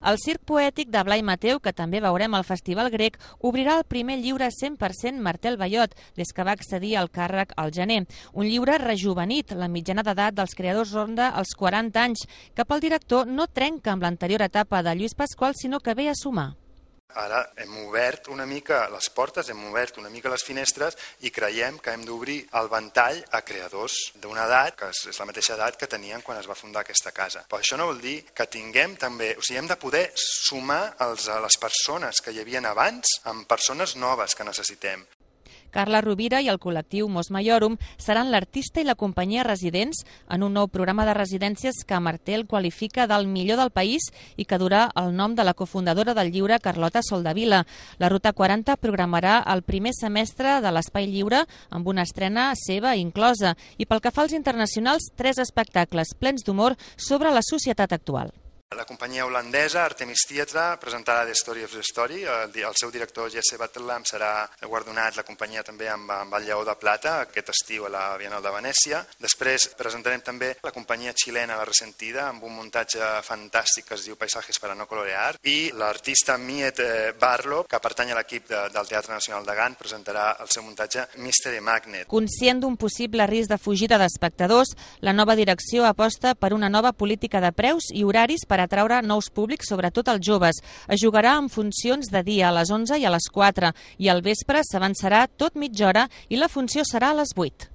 El circ poètic de Blai Mateu, que també veurem al Festival Grec, obrirà el primer llibre 100% Martel Ballot, des que va accedir al càrrec al gener. Un llibre rejuvenit, la mitjana d'edat dels creadors ronda els 40 anys, que pel director no trenca amb l'anterior etapa de Lluís Pasqual, sinó que ve a sumar. Ara hem obert una mica les portes, hem obert una mica les finestres i creiem que hem d'obrir el ventall a creadors d'una edat que és la mateixa edat que tenien quan es va fundar aquesta casa. Però això no vol dir que tinguem també, hem de poder sumar a les persones que hi havia abans amb persones noves que necessitem. Carla Rovira i el col·lectiu Mos Maiorum seran l'artista i la companyia residents en un nou programa de residències que Martel qualifica del millor del país i que durà el nom de la cofundadora del llibre, Carlota Soldavila. La Ruta 40 programarà el primer semestre de l'Espai Lliure amb una estrena seva inclosa i pel que fa als internacionals, 3 espectacles plens d'humor sobre la societat actual. La companyia holandesa Artemis Theatre presentarà The Story of the Story. El seu director Jesse Battelam serà guardonat, la companyia també amb el Lleó de Plata aquest estiu a la Bienal de Venècia. Després presentarem també la companyia xilena La Resentida amb un muntatge fantàstic que es diu Paisajes para no colorear, i l'artista Miet Barlow, que pertany a l'equip del Teatre Nacional de Gant, presentarà el seu muntatge Mystery Magnet. Conscient d'un possible risc de fugida d'espectadors, la nova direcció aposta per una nova política de preus i horaris per atraure nous públics, sobretot els joves. Es jugarà en funcions de dia a les 11 i a les 4 i al vespre s'avançarà tot mitja hora i la funció serà a les 8.